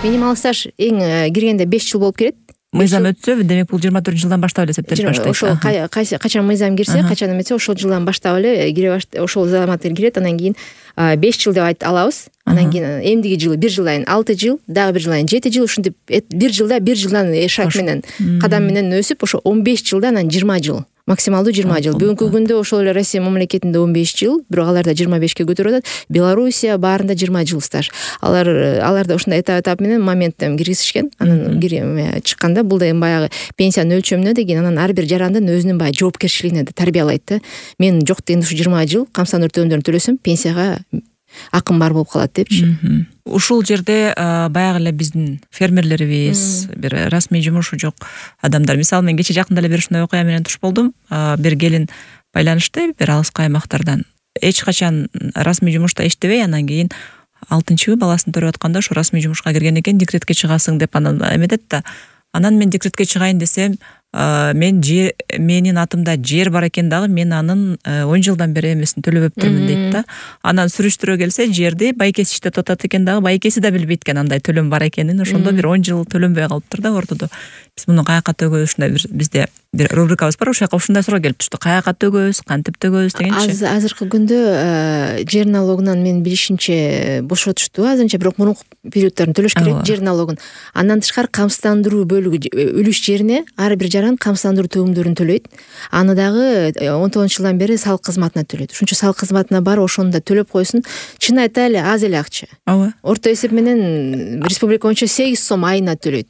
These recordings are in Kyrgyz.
Минималдык стаж эң киргенде 5 жыл болуп кирет. Мыйзам өтсө, демек бул 24 жылдан баштап эле эсептелип баштайт. Ошол качан мыйзам кирсе, качан эметсе ошол жылдан баштап эле кире ошол заматтар кирет. Анан кийин 5 жыл деп алабыз. Анан кийин эмдиги жылы 1 жылдан 6 жыл, дагы 1 жылдан 7 жыл, ушинтип 1 жылдан шаг менен, кадам менен өсүп, ошо 15 жылдан анан 20 жыл. Максималдуу 20 жыл. Бүгүнкү күндө ошол эле Россия мамлекетинде 15 жыл, бирок аларда 25 көтөрүп атат. Белоруссия баарында 20 жыл стаж. Аларда ушундай этап менен моменттен киргизишкен. Анан чыкканда бул деген баягы пенсиянын өлчөмүнө деген анан ар бир жарандын өзүнүн баягы жоопкерчилигине тарбиялайт да. Мен жок дегенде ушу 20 жыл камсандыруу төлөмдөрүн төлөсөм, пенсияга акым бар болуп калат депчи. Ушул жерде баягы эле биздин фермерлерибиз, бир расмий жумушу жок адамдар. Мисалы, мен кече жакында эле бир ушундай окуя менен туш болдум. Бир келин байланышты бир алыскы аймактардан. Эч качан расмий жумушта иштебей, анан кийин 6-чы баласын төрөп атканда ошо расмий жумушка кирген экен, декретке чыгасың деп анан эметет да. Анан мен декретке чыгайын десем, менин атымда жер бар экен дагы, мен анын 10 жылдан бери эмесин төлөп өптүрмүн дейт да. Анан сүрүштүрө келсе, жерди байкеси иштеп атат экен дагы, байкеси да билбейт экен андай төлөм бар экенин. Ошондо бир 10 жыл төлөнбөй калыптыр да ортодо. Биз муну каяка төгөбүз, ушундай бизде бир рубрикабыз бар, ошол жака ушундай суроо келип тушту. Каяка төгөбүз, кантип төгөбүз дегенчи. Азыркы күндө жер налогунан мен билишимче бошотушту азырынча, бирок мурунку периоддарын төлөш керек жер налогун. Андан тышкары камсыздандыруу бөлүгү үлүш жерине ар бир жаран камсыздандыруу төлөмдөрүн төлөйт. Аны дагы 19 жылдан бери салык кызматына төлөйт. Ошончо салык кызматына барып ошону да төлөп койсун. Чын айта эле аз эле акча. Орто эсеп менен республика боюнча 8 сом айына төлөйт.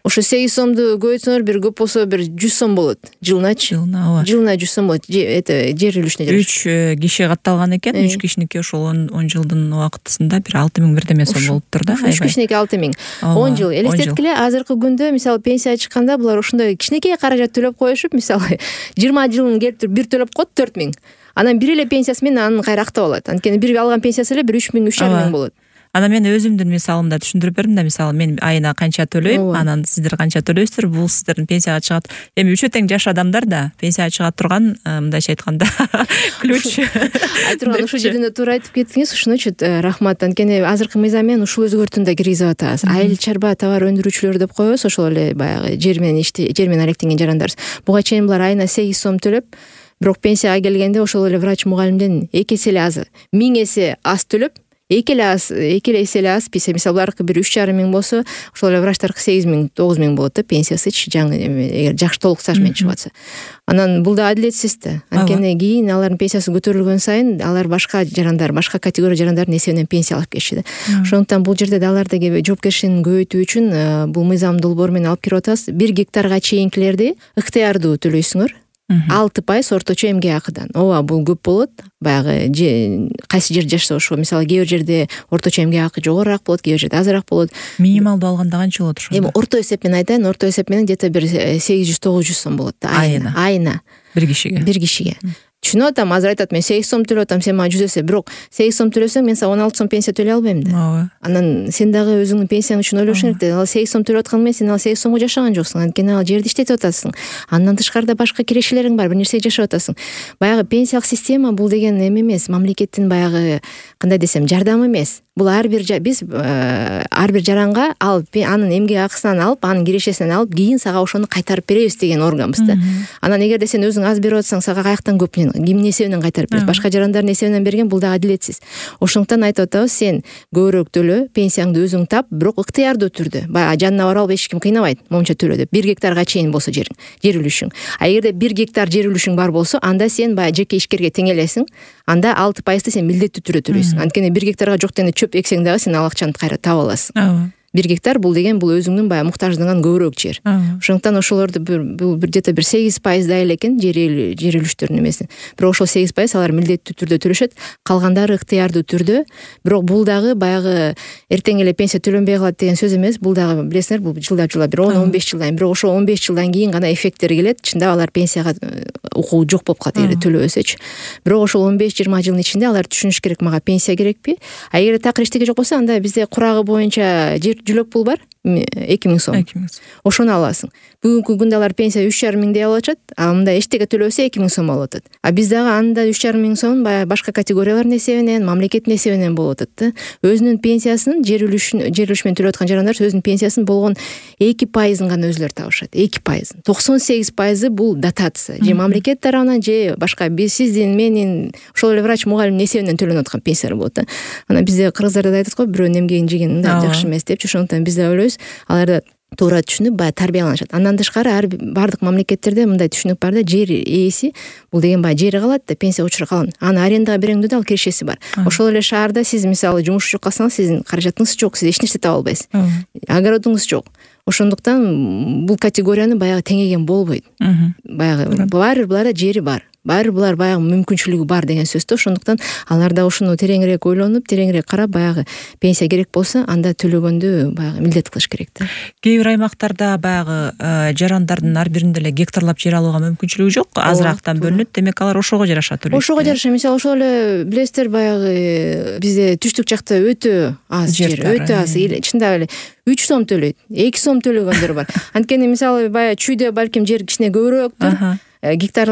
Ошо 8 сомду көбөйтсөңөр, бир көп болсо бир 100 сом болот. Жылначы. Жылына 100 сом болот. Жер үлүшүнө жараша. 3 киши катталган экен. 3 кишиники ошол 10 жылдын убактысында бир 6000 бирдеме сом болуптур да. 3 кишиники 6000. 10 жыл. Элестеткиле, азыркы күндө мисалы пенсия чыкканда булар ошондой кичинекей каражат төлөп коюшуп, мисалы 20 жылын келип туруп бир төлөп коет 4000. Анан бир эле пенсиясы менен анын кайра актап алат. Анткени бир алган пенсиясы эле бир 3000, 3500 болот. Анан мен өзүмдүн мисалымда түшүндүрүп бердим да, мисалы мен айына канча төлөйм, анан сиздер канча төлөйсүздөр, бул сиздердин пенсияга чыгат. Эми үчө тең жаш адамдар да пенсияга чыга турган, мындайча айтканда, ключ. Айтурган ушул жерде туура айтып кеттиңиз, ушун үчүн рахмат. Анткени азыркы мыйзам менен ушул өзгөртүүнү да киргизип атабыз. Айыл чарба товар өндүрүүчүлөр деп коебуз, ошол эле баягы жер менен алектенген жарандар. Буга чейин булар айына 8 сом төлөп, бирок пенсияга келгенде ошол эле врач мугалимден 2 эсе эле аз, 1000 эсе аз төлөп, 2 эсе эле аз пенсия. Мисалы буларкы бир 3,5 болсо, ошол эле врачтаркы 8000, 9000 болот да пенсиясычы, жаңы эгер жакшы толук стаж менен чыгып атса. Анан бул да адилетсиз да. Анткени кийин алардын пенсиясы көтөрүлгөн сайын алар башка жарандар, башка категория жарандардын эсебинен пенсия алып келишти да. Ошондуктан бул жерде алардагы жоопкерчилигин көбөйтүү үчүн бул мыйзам долбоор менен алып кирип атабыз. 1 гектарга чейинкилерди ыктыярдуу төлөйсүңөр. 6% орточо эмгек акыдан. Ооба, бул көп болот. Баягы кайсы жер жашаса ошо, мисалы кээ бир жерде орточо эмгек акы жогорураак болот, кээ бир жерде азыраак болот. Минималдуу алганда канча болот ошондо? Эми орто эсеп менен айтайын, орто эсеп менен где-то бир 800-900 сом болот да айына. Бир кишиге. Түшүнүп атам, азыр айтат мен 8 сом төлөп атам, сен мага 100 эсе, бирок 8 сом төлөсөң мен сага 16 сом пенсия төлөй албайм да. Анан сен дагы өзүңдүн пенсияң үчүн ойлошуң керек да. Ал 8 сом төлөп аткан менен сен ал 8 сомго жашаган жоксуң. Анткени ал жерди иштетип атасың. Андан тышкары башка кирешелериң бар, бир нерсе жашап атасың. Баягы пенсиялык система бул деген эме эмес, мамлекеттин баягы кандай десем, жардамы эмес. Бул биз ар бир жаранга анын эмгек акысынан алып, анын кирешесинен алып, кийин сага ошону кайтарып беребиз деген органбыз да. Анан эгерде сен өзүң аз берип атсаң, сага каяктан көп, кимдин эсебинен кайтарып берет? Башка жарандардын эсебинен берген, бул да адилетсиз. Ошондуктан айтып атабыз, сен көбүрөөк төлө, пенсияңды өзүң тап, бирок ыктыярдуу түрдө. Баягы жанына барып алып эч ким кыйнабайт, момунча төлө деп. 1 гектарга чейин болсо жер үлүшүң. А эгерде 1 гектар жер үлүшүң бар болсо, анда сен баягы жеке ишкерге тең элесиң. Анда 6% сен милдеттүү түрдө төлөйсүң. Анткени 1 гектарга жок дегенде чөп эксең дагы сен ал акчаны кайра таба аласың. 1 гектар бул деген бул өзүңдүн баягы муктаждыгыңан көбүрөөк жер. Ошондуктан ошолорду бул где-то бир 8% да эле экен жер үлүштөрүнүн эмеси. Бирок ошол 8% алар милдеттүү түрдө төлөшөт, калгандары ыктыярдуу түрдө. Бирок бул дагы баягы эртең эле пенсия төлөнбөй калат деген сөз эмес. Бул дагы билесиңер, бул жылдап бир 10-15 жылдан, бирок ошол 15 жылдан кийин гана эффекттери келет. Чындап алар пенсияга укугу жок болуп калат эгер төлөбөсөчү. Бирок ошол 15-20 жылдын ичинде алар түшүнүш керек, мага пенсия керекпи? А эгер такыр эчтеке жок болсо, анда бизде курагы боюнча жер жүлөк пул бар. 2000 сом. Ошону аласың. Бүгүнкү күндө алар пенсия 3,5 алып атышат, а мында эчтеке төлөбөсө 2000 сом алып атат. А биз дагы анда 3,5 сом баягы башка категориялардын эсебинен, мамлекеттин эсебинен болуп атат да. Өзүнүн пенсиясын жер үлүшү менен төлөп аткан жарандар өзүнүн пенсиясын болгон 2% гана өзүлөрү табышат. 2%. 98% бул дотация. Же мамлекет тарабынан, же башка сиздин, менин, ошол эле врач, мугалимдин эсебинен төлөнүп аткан пенсиялар болот да. Анан бизде кыргыздарда айтат го, бирөө эмгегин жеген мындай жакшы эмес депчи. Ошондуктан биз да ойлойбуз, аларда туура түшүнүп баягы тарбияланышат. Андан тышкары бардык мамлекеттерде мындай түшүнүк бар да, жер ээси бул деген баягы жери калат да, пенсия учуру калган. Аны арендага береңди да, ал кирешеси бар. Ошол эле шаарда сиз мисалы жумуш жок калсаңыз, сиздин каражатыңыз жок, сиз эч нерсе таба албайсыз. Огородуңуз жок. Ошондуктан бул категорияны баягы теңеген болбойт. Баягы баары буларда жери бар. Баары булар баягы мүмкүнчүлүгү бар деген сөз да. Ошондуктан алар да ушуну тереңирээк ойлонуп, тереңирээк карап, баягы пенсия керек болсо, анда төлөгөндү баягы милдет кылыш керек да. Кээ бир аймактарда баягы жарандардын ар биринде эле гектарлап жер алууга мүмкүнчүлүгү жок, азырактан бөлүнөт, демек алар ошого жараша төлөйт. Ошого жараша, мисалы ошол эле билесиздер, баягы бизде түштүк жакта өтө аз жер, өтө аз, чындап эле 3 сом төлөйт, 2 сом төлөгөндөр бар. Анткени мисалы баягы чүйдө балким жер кичине көбүрөөктүр. Гектар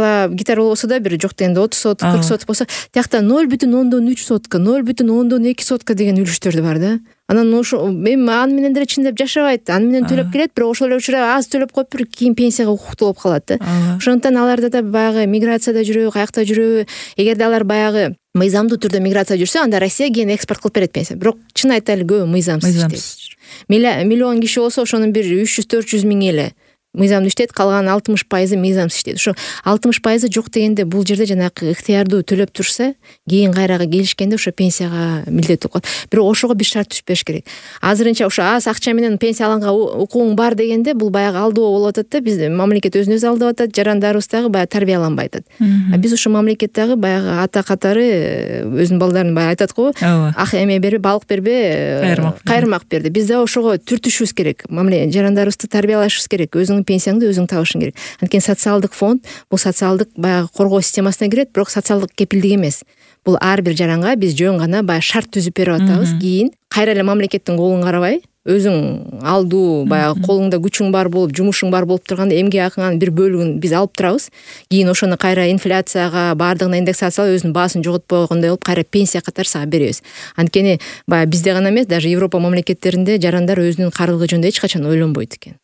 болбосо да бир жок дегенде 30 соток, 40 соток болсо, тиякта 0,3 сотка, 0,2 сотка деген үлүштөр бар да. Анан ошо эми аны менен деле чындап жашабайт, аны менен төлөп келет, бирок ошол эле учурда аз төлөп коюп бир кийин пенсияга укуктуу болуп калат да. Ошондуктан аларда да баягы миграцияда жүрөбү, каякта жүрөбү, эгерде алар баягы мыйзамдуу түрдө миграция жүрсө, анда Россия кийин экспорт кылып берет пенсия. Бирок чын айтайлы, көбү мыйзамсыз иштейт. Миллион киши болсо, ошонун бир 300-400 миң эле мыйзамдуу иштейт, калган 60% мыйзамсыз иштейт. Ошо 60% жок дегенде бул жерде жанагы ыктыярдуу төлөп турса, кийин кайрага келишкенде ошо пенсияга милдеттүү калат. Бирок ошого бир шарт түшпөш керек. Азырынча ошо аз акча менен пенсия алганга укугуң бар дегенде, бул баягы алдоо болуп атат да. Бизде мамлекет өзүн өзү алдап атат, жарандарыбыз дагы баягы тарбияланбай атат. А биз ошо мамлекет дагы баягы ата катары өзүнүн балдарын баягы айтат го, ак эме бербе, балык бербе, кайырмак берди. Биз да ошого түртүшүбүз керек. Жарандарыбызды тарбиялашыбыз керек. Өзүң пенсияңды өзүң табышың керек. Анткени социалдык фонд бул социалдык баягы коргоо системасына кирет, бирок социалдык кепилдик эмес. Бул ар бир жаранга биз жөн гана баягы шарт түзүп берип атабыз. Кийин кайра эле мамлекеттин колун карабай, өзүң алдуу баягы колуңда күчүң бар болуп, жумушуң бар болуп турганда эмгек акыңанын бир бөлүгүн биз алып турабыз. Кийин ошону кайра инфляцияга, баардыгына индексациялап, өзүнүн баасын жоготпогондой болуп, кайра пенсия катары сага беребиз. Анткени баягы бизде гана эмес, даже Европа мамлекеттеринде жарандар өзүнүн карылыгы жөнүндө эч качан ойлонбойт экен.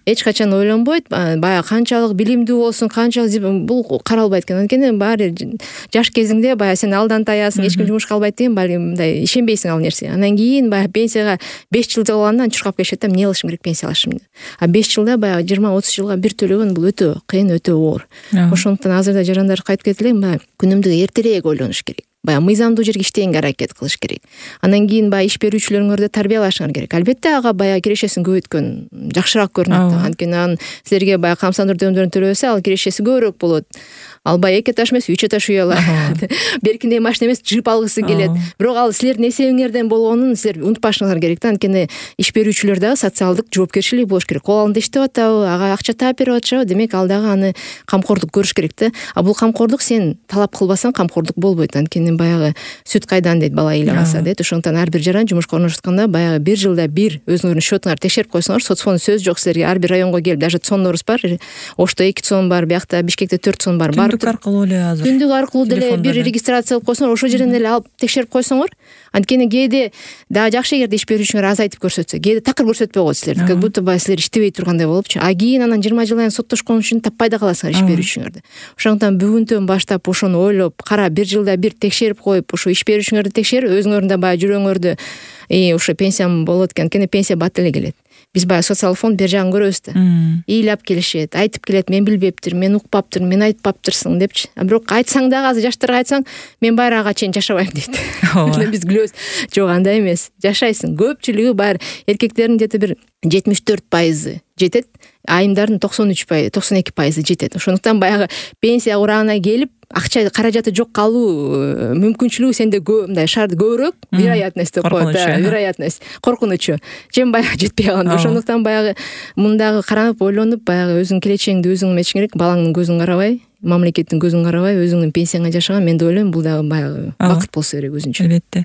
Эч качан ойлонбойт, баягы канчалык билимдүү болсун, канчалык бул каралбайт экен. Анткени баары жаш кезиңде баягы сен алдан таясың, эч ким жумушка албайт деген балким мындай ишенбейсиң ал нерсеге. Андан кийин баягы пенсияга 5 жыл калганда чуркап келишет да, эмне кылышым керек пенсия алышым деп. А 5 жылда баягы 20-30 жылга бир төлөгөн бул өтө кыйын, өтө оор. Ошондуктан азырда жарандар кайтып кетип элем, баягы күнүмдүк эртерээк ойлонуш керек. Баягы мыйзамдуу жерге иштегенге аракет кылыш керек. Андан кийин баягы иш берүүчүлөрүңөрдү тарбиялашыңар керек. Албетте ага баягы кирешесин көбөйткөн жакшыраак көрүнөт. Анткени анын силерге баягы камсандыруу төлөмдөрүн төлөбөсө, ал кирешеси көбүрөөк болот. Ал баягы 2 этаж эмес, 3 этаж үй алат. Беркиндей машина эмес, джип алгысы келет. Бирок ал силердин эсебиңерден болгонун силер унутпашыңар керек да. Анткени иш берүүчүлөр дагы социалдык жоопкерчилиги болуш керек. Кол алында иштеп атабы, ага акча таап берип атышабы, демек ал дагы аны камкордук көрүш керек да. А бул камкордук сен талап кылбасаң камкордук болбойт. Анткени баягы сүт кайдан дейт, бала ыйлап алса дейт. Ошондуктан ар бир жаран жумушка орношутканда баягы 1 жылда бир өзүңөрдүн счетуңарды текшерип койсоңор, соцфонд сөз жок силерге. Ар бир районго келип, даже цоннорубуз бар. Ошто 2 цон бар, биякта Бишкекте 4 цон бар. Түндүк аркылуу эле азыр. Түндүк аркылуу деле бир регистрация кылып койсоңор, ошол жерден эле алып текшерип койсоңор, анткени кээде дагы жакшы эгерде иш берүүчүңөр азайтып көрсөтсө, кээде такыр көрсөтпөй коет силерди, как будто баягы силер иштебей тургандай болупчу. А кийин анан 20 жылдан соттошкон үчүн таппай да каласыңар иш берүүчүңөрдү. Ошондуктан бүгүнтөн баштап ошону ойлоп, кара 1 жылда бир текшерип коюп, ошо иш берүүчүңөрдү текшерип, өзүңөрдүн да баягы жүрөгүңөрдү ошо пенсиям болот экен. Анткени пенсия бат эле келет. Биз баягы социалдык фонд бер жагын көрөбүз да. Ыйлап келишет, айтып келет, мен билбептирмин, мен укпаптырмын, мен айтпаптырсың депчи. Бирок айтсаң дагы азыр жаштарга айтсаң, мен байрага чейин жашабайм дейт. Биз күлөбүз. Жок, андай эмес. Жашайсың. Көпчүлүгү баары эркектердин где-то бир 74% жетет, айымдардын 92% жетет. Ошондуктан баягы пенсия урагына келип, акча каражаты жок калуу мүмкүнчүлүгү сенде мындай шарт көбүрөөк, вероятность деп коет, вероятность, коркунучу. Чем баягы жетпей калганда. Ошондуктан баягы мындагы каранып, ойлонуп, баягы өзүңдүн келечегиңди өзүң эметишиң керек, балаңдын көзүн карабай, мамлекеттин көзүн карабай, өзүңдүн пенсияңа жашаган, мен деп ойлойм, бул дагы баягы бакыт болсо керек өзүнчө. Албетте.